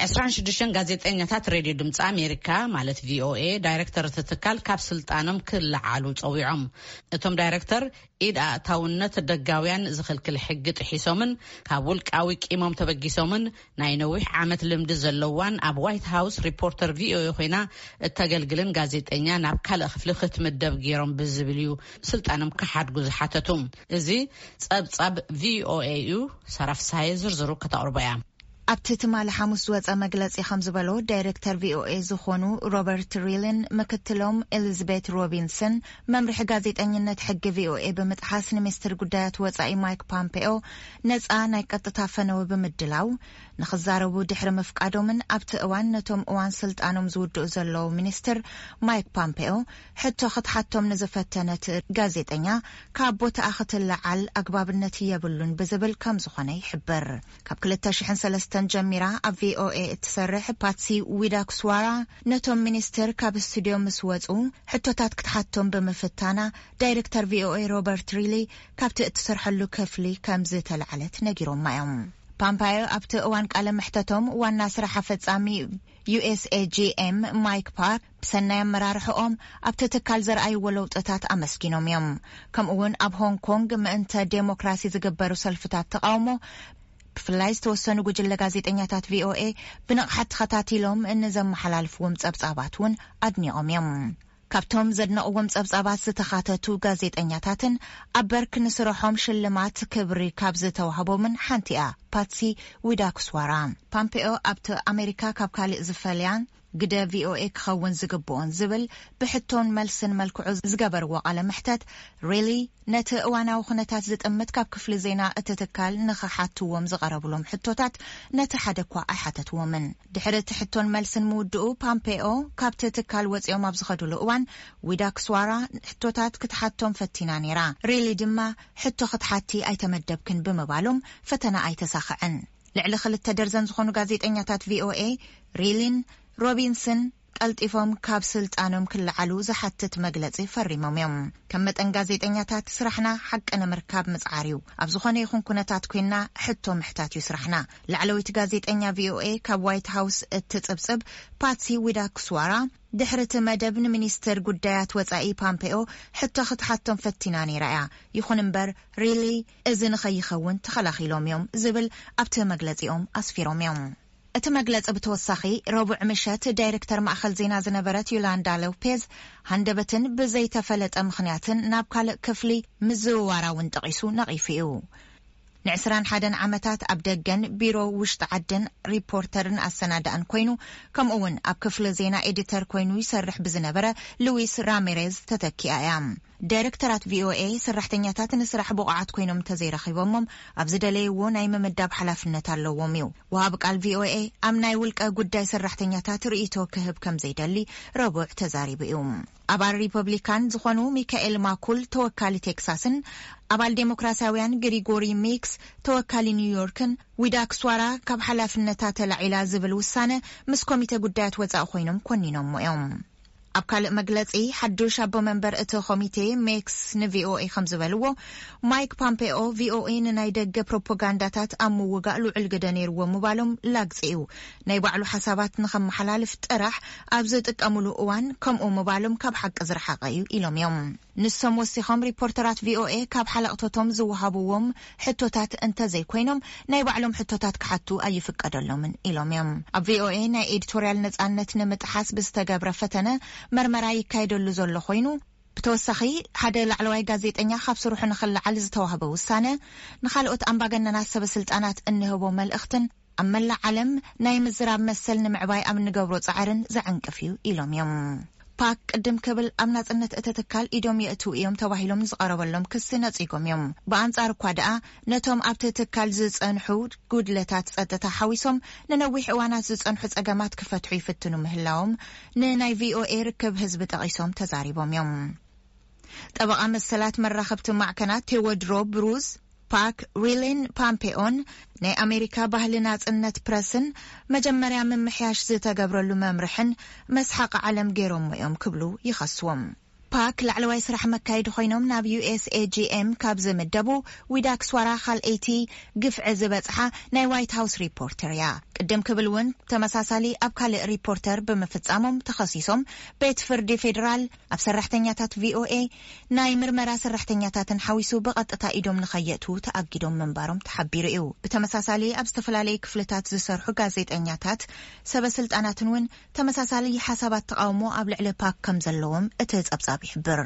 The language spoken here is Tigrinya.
ዕስራን ሽዱሽተን ጋዜጠኛታት ሬድዮ ድምፂ ኣሜሪካ፣ ማለት ቪኦኤ፣ ዳይሬክተር እቲ ትካል ካብ ስልጣኖም ክለዓሉ ፀዊዖም። እቶም ዳይሬክተር ኢድ ኣእታውነት ደጋውያን ዝኽልክል ሕጊ ጥሒሶምን ካብ ውልቃዊ ቂሞም ተበጊሶምን፣ ናይ ነዊሕ ዓመት ልምዲ ዘለዋን ኣብ ዋይት ሃውስ ሪፖርተር ቪኦኤ ኮይና እተገልግልን ጋዜጠኛ ናብ ካልእ ክፍሊ ክትምደብ ገይሮም ብዝብል እዩ ስልጣኖም ክሓድጉ ዝሓተቱ። እዚ ጸብጻብ ቪኦኤ እዩ። ሳራ ፍስሃየ ዝርዝሩ ከተቕርቦ እያ። ኣብቲ ትማሊ ሓሙስ ዝወጸ መግለጺ ከም ዝበሎ፣ ዳይሬክተር ቪኦኤ ዝኾኑ ሮበርት ሪልን ምክትሎም ኤሊዝቤት ሮቢንሰን፣ መምርሒ ጋዜጠኝነት ሕጊ ቪኦኤ ብምጥሓስ፣ ንሚኒስትር ጉዳያት ወጻኢ ማይክ ፖምፔኦ ነጻ ናይ ቀጥታ ፈነወ ብምድላው፣ ንኽዛረቡ ድሕሪ ምፍቃዶምን ኣብቲ እዋን ነቶም እዋን ስልጣኖም ዝውድኡ ዘለዉ ሚኒስትር ማይክ ፖምፔኦ ሕቶ ክትሓቶም ንዝፈተነት ጋዜጠኛ፣ ካብ ቦታኣ ክትለዓል ኣግባብነት የብሉን ብዝብል ከም ዝኾነ ይሕብር። ካብ ክልተ ሽሕን ሰለስተን ጀሚራ ኣብ ቪኦኤ እትሰርሕ ፓትሲ ዊዳኩስዋራ፣ ነቶም ሚኒስትር ካብ ስቱድዮ ምስ ወጹ ሕቶታት ክትሓቶም ብምፍታና፣ ዳይሬክተር ቪኦኤ ሮበርት ሪሊ ካብቲ እትሰርሐሉ ክፍሊ ከም ዝተላዕለት ነጊሮማ እዮም። ፓምፓዮ ኣብቲ እዋን ቃለ መሕተቶም፣ ዋና ስራሕ ኣፈጻሚ ዩ ኤስ ኤ ጂ ኤም ማይክ ፓር ብሰናይ ኣመራርሕኦም ኣብቲ ትካል ዘርኣይዎ ለውጥታት ኣመስጊኖም እዮም። ከምኡ እውን ኣብ ሆንግ ኮንግ ምእንተ ዴሞክራሲ ዝግበሩ ሰልፍታት ተቃውሞ፣ ብፍላይ ዝተወሰኑ ጉጅለ ጋዜጠኛታት ቪኦኤ ብንቕሓት ተኸታቲሎም ንዘመሓላልፍዎም ጸብጻባት እውን ኣድኒቖም እዮም። ካብቶም ዘድነቕዎም ጸብጻባት ዝተኻተቱ ጋዜጠኛታትን ኣብ በርክ ንስርሖም ሽልማት ክብሪ ካብ ዝተዋህቦምን ሓንቲ እያ ፓትሲ ዊዳኩስዋራ። ፓምፔኦ ኣብቲ ኣሜሪካ ካብ ካልእ ዝፈልያን ግደ ቪኦኤ ክኸውን ዝግብኦን ዝብል ብሕቶን መልስን መልክዑ ዝገበርዎ ቃለ መሕተት፣ ሪሊ ነቲ እዋናዊ ኩነታት ዝጥምት ካብ ክፍሊ ዜና እቲ ትካል ንኽሓትዎም ዝቐረብሎም ሕቶታት ነቲ ሓደ እኳ ኣይሓተትዎምን። ድሕሪ እቲ ሕቶን መልስን ምውድኡ፣ ፓምፔኦ ካብቲ ትካል ወጺኦም ኣብ ዝኸድሉ እዋን፣ ዊዳክስዋራ ሕቶታት ክትሓቶም ፈቲና ነይራ። ሪሊ ድማ ሕቶ ክትሓቲ ኣይተመደብክን ብምባሎም ፈተና ኣይተሳኸዐን። ልዕሊ ክልተ ደርዘን ዝኾኑ ጋዜጠኛታት ቪኦኤ፣ ሪሊን ሮቢንስን ቀልጢፎም ካብ ስልጣኖም ክለዓሉ ዝሓትት መግለጺ ፈሪሞም እዮም። ከም መጠን ጋዜጠኛታት፣ ስራሕና ሓቂ ንምርካብ ምጽዓር እዩ። ኣብ ዝኾነ ይኹን ኩነታት ኮይንና ሕቶ ምሕታት እዩ ስራሕና። ላዕለወይቲ ጋዜጠኛ ቪኦኤ ካብ ዋይት ሃውስ እትጽብጽብ ፓትሲ ዊዳኩስዋራ፣ ድሕሪ እቲ መደብ ንሚኒስትር ጉዳያት ወጻኢ ፓምፔኦ ሕቶ ክትሓቶም ፈቲና ነይራ እያ። ይኹን እምበር፣ ሪሊ እዚ ንኸይኸውን ተኸላኺሎም እዮም ዝብል ኣብቲ መግለጺኦም ኣስፊሮም እዮም። እቲ መግለጺ ብተወሳኺ፣ ረቡዕ ምሸት ዳይሬክተር ማእከል ዜና ዝነበረት ዮላንዳ ሎፔዝ፣ ሃንደበትን ብዘይተፈለጠ ምኽንያትን ናብ ካልእ ክፍሊ ምዝውዋራ እውን ጠቒሱ ነቒፉ እዩ። ንዕስራን ሓደን ዓመታት ኣብ ደገን ቢሮ ውሽጢ ዓድን ሪፖርተርን ኣሰናዳእን ኮይኑ፣ ከምኡ እውን ኣብ ክፍሊ ዜና ኤዲተር ኮይኑ ይሰርሕ ብዝነበረ ሉዊስ ራሚሬዝ ተተኪኣ እያ። ዳይሬክተራት ቪኦኤ፣ ሰራሕተኛታት ንስራሕ ብቑዓት ኮይኖም እንተዘይረኺቦሞም፣ ኣብ ዝደለይዎ ናይ ምምዳብ ሓላፍነት ኣለዎም እዩ። ወሃቢ ቃል ቪኦኤ ኣብ ናይ ውልቀ ጉዳይ ሰራሕተኛታት ርእይቶ ክህብ ከም ዘይደሊ ረቡዕ ተዛሪቡ እዩ። ኣባል ሪፐብሊካን ዝኾኑ ሚካኤል ማኩል፣ ተወካሊ ቴክሳስን ኣባል ዴሞክራሲያውያን ግሪጎሪ ሚክስ፣ ተወካሊ ኒውዮርክን፣ ዊዳክስዋራ ካብ ሓላፍነታ ተላዒላ ዝብል ውሳነ ምስ ኮሚቴ ጉዳያት ወጻኢ ኮይኖም ኮኒኖሞ እዮም። ኣብ ካልእ መግለጺ፣ ሓዱሽ ኣቦ መንበር እቲ ኮሚቴ ሜክስ ንቪኦኤ ከም ዝበልዎ፣ ማይክ ፖምፔኦ ቪኦኤ ንናይ ደገ ፕሮፓጋንዳታት ኣብ ምውጋእ ልዑል ግደ ነይርዎ ምባሎም ላግጺ እዩ። ናይ ባዕሉ ሓሳባት ንኸመሓላልፍ ጥራሕ ኣብ ዝጥቀምሉ እዋን ከምኡ ምባሎም ካብ ሓቂ ዝረሓቐ እዩ ኢሎም እዮም። ንሶም ወሲኾም፣ ሪፖርተራት ቪኦኤ ካብ ሓለቕቶቶም ዝወሃብዎም ሕቶታት እንተዘይኮይኖም፣ ናይ ባዕሎም ሕቶታት ክሓቱ ኣይፍቀደሎምን ኢሎም እዮም። ኣብ ቪኦኤ ናይ ኤዲቶርያል ነጻነት ንምጥሓስ ብዝተገብረ ፈተነ መርመራ ይካየደሉ ዘሎ ኮይኑ፣ ብተወሳኺ፣ ሓደ ላዕለዋይ ጋዜጠኛ ካብ ስርሑ ንኽለዓል ዝተዋህበ ውሳነ፣ ንኻልኦት ኣምባገነናት ሰበ ስልጣናት እንህቦ መልእኽትን ኣብ መላእ ዓለም ናይ ምዝራብ መሰል ንምዕባይ ኣብ እንገብሮ ጻዕርን ዘዕንቅፍ እዩ ኢሎም እዮም። ፓክ ቅድም ክብል ኣብ ናጽነት እቲ ትካል ኢዶም የእትዉ እዮም ተባሂሎም ዝቐረበሎም ክሲ ነጺጎም እዮም። ብኣንጻር እኳ ደኣ፣ ነቶም ኣብቲ ትካል ዝጸንሑ ጉድለታት ጸጥታ ሓዊሶም ንነዊሕ እዋናት ዝጸንሑ ጸገማት ክፈትሑ ይፍትኑ ምህላዎም ንናይ ቪኦኤ ርክብ ህዝቢ ጠቒሶም ተዛሪቦም እዮም። ጠበቓ መሰላት መራኸብቲ ማዕከናት ቴዎድሮ ብሩዝ፣ ፓክ፣ ሪሊን ፓምፔኦን ናይ ኣሜሪካ ባህሊ ናጽነት ፕረስን መጀመርያ ምምሕያሽ ዝተገብረሉ መምርሕን መስሓቕ ዓለም ገይሮሞ እዮም ክብሉ ይኸስዎም። ፓክ ላዕለዋይ ስራሕ መካየዲ ኮይኖም ናብ ዩ ኤስ ኤ ጂ ኤም ካብ ዝምደቡ ዊዳክ ስዋራ ካልኣይቲ ግፍዒ ዝበጽሓ ናይ ዋይት ሃውስ ሪፖርተር እያ። ቅድም ክብል እውን ተመሳሳሊ ኣብ ካልእ ሪፖርተር ብምፍጻሞም ተኸሲሶም ቤት ፍርዲ ፌዴራል ኣብ ሰራሕተኛታት ቪ ኦ ኤ ናይ ምርመራ ሰራሕተኛታትን ሓዊሱ ብቐጥታ ኢዶም ንኸየእትዉ ተኣጊዶም ምንባሮም ተሓቢሩ እዩ። ብተመሳሳሊ ኣብ ዝተፈላለዩ ክፍልታት ዝሰርሑ ጋዜጠኛታት ሰበ ስልጣናትን እውን ተመሳሳሊ ሓሳባት ተቓውሞ ኣብ ልዕሊ ፓክ ከም ዘለዎም እቲ ጸብጻብ ይሕብር።